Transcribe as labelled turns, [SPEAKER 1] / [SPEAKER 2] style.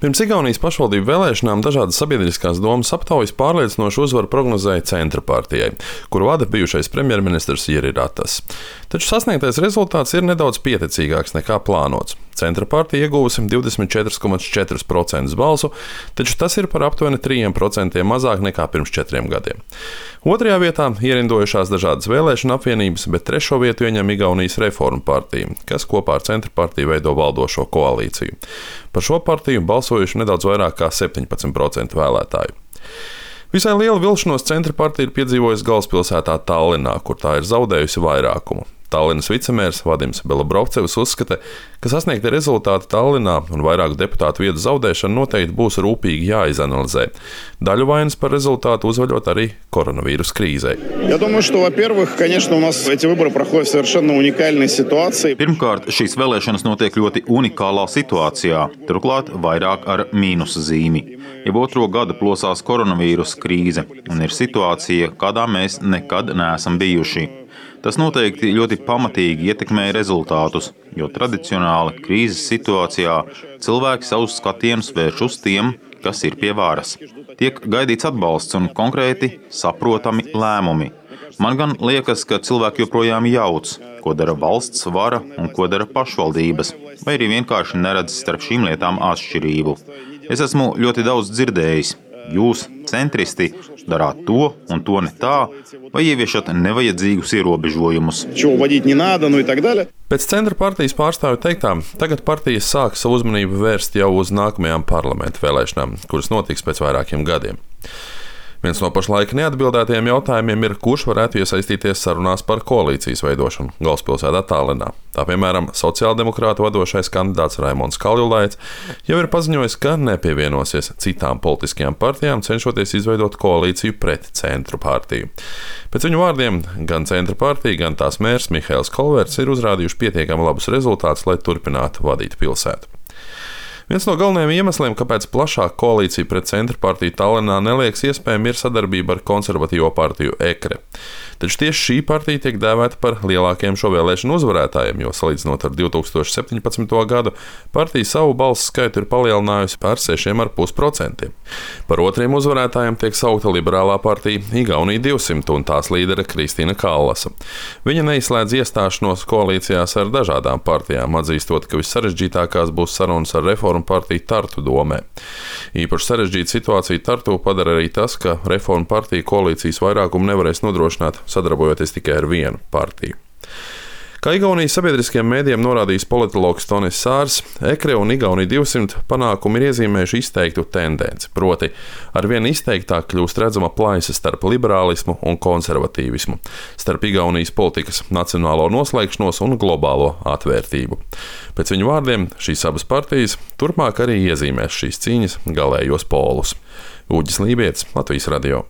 [SPEAKER 1] Pirms Igaunijas pašvaldību vēlēšanām dažādas sabiedriskās domas aptaujas pārliecinošu uzvaru prognozēja Centra partijai, kuru vada bijušais premjerministrs Jiri Ratas. Taču sasniegtais rezultāts ir nedaudz pieticīgāks nekā plānots. Centra partija iegūsi 24,4% balsu, taču tas ir par aptuveni 3% mazāk nekā pirms 4 gadiem. Otrajā vietā ierindojušās dažādas vēlēšana apvienības, bet trešo vietu ieņem Igaunijas Reformu partija, kas kopā ar Centra partiju veido valdošo koalīciju. Par šo partiju balsojuši nedaudz vairāk kā 17% vēlētāju. Visai lielu vilšanos Centra partija ir piedzīvojusi galvaspilsētā Tallinā, kur tā ir zaudējusi vairākumu. Tallinas vicemērs Vadims Belobrovcevs uzskata, ka sasniegti rezultāti Tallinā un vairāku deputātu vietu zaudēšana noteikti būs rūpīgi jāizanalizē. Daļu vainas par rezultātu uzvaļot arī koronavīrus krīzei.
[SPEAKER 2] Я думаю, что, во-первых, конечно, у нас эти выборы проходят в совершенно уникальной ситуации.
[SPEAKER 3] Pirmkārt, šīs vēlēšanas notiek ļoti unikālā situācijā, turklāt vairāk ar mīnusa zīmi. Jau otro gadu plosās koronavīrus krīze un ir situācija, kādā mēs nekad neesam bijuši. Tas noteikti ļoti pamatīgi ietekmēja rezultātus, jo tradicionāli krīzes situācijā cilvēki savus skatienus vērš uz tiem, kas ir pie varas. Tiek gaidīts atbalsts un konkrēti saprotami lēmumi. Man gan liekas, ka cilvēki joprojām jauc, ko dara valsts vara un ko dara pašvaldības, vai arī vienkārši neredz starp šīm lietām atšķirību. Es esmu ļoti daudz dzirdējis. Jūs, centristi, darāt to un to ne tā, vai ieviešat nevajadzīgus ierobežojumus.
[SPEAKER 1] Pēc Centra partijas pārstāvju teiktām, tagad partijas sāk savu uzmanību vērst jau uz nākamajām parlamenta vēlēšanām, kuras notiks pēc vairākiem gadiem. Viens no pašlaik neatbildētajiem jautājumiem ir, kurš varētu iesaistīties sarunās par koalīcijas veidošanu galvaspilsētā Tallinā. Tā piemēram, sociāldemokrātu vadošais kandidāts Raimonds Kaljulaits jau ir paziņojis, ka nepievienosies citām politiskajām partijām, cenšoties izveidot koalīciju pret Centru partiju. Pēc viņu vārdiem, gan Centra partija, gan tās mērs Mihails Kolverts ir uzrādījuši pietiekami labus rezultātus, lai turpinātu vadīt pilsētu. Viens no galvenajiem iemesliem, kāpēc plašāka koalīcija pret Centra partiju Tallinā neliekas iespējama, ir sadarbība ar konservatīvo partiju EKRE. Taču tieši šī partija tiek dēvēta par lielākajiem šo vēlēšanu uzvarētājiem, jo salīdzinot ar 2017. gadu, partija savu balsu skaitu ir palielinājusi par 6,5%. Par otriem uzvarētājiem tiek saukta liberālā partija Igaunija 200 un tās līdere Kristīna Kallasa. Viņa neizslēdz iestāšanos koalīcijās ar dažādām partijām, atzīstot, ka vissarežģītākās būs sarunas ar Reformu partiju Tartu domē. Īpaši sarežģīta situācija Tartu padara arī tas, ka Reformu partija koalīcijas vairākumu nevarēs nodrošināt, sadarbojoties tikai ar vienu partiju. Kā Igaunijas sabiedriskajiem mēdījiem norādījis politologs Tonis Sārs, EKRE un Igaunija 200 panākumi ir iezīmējuši izteiktu tendenci, proti arvien izteiktāk kļūst redzama plaisa starp liberālismu un konservatīvismu, starp Igaunijas politikas nacionālo noslēgšanos un globālo atvērtību. Pēc viņu vārdiem šīs abas partijas turpmāk arī iezīmēs šīs cīņas galējos polus. Uģis Lībietis, Latvijas radio.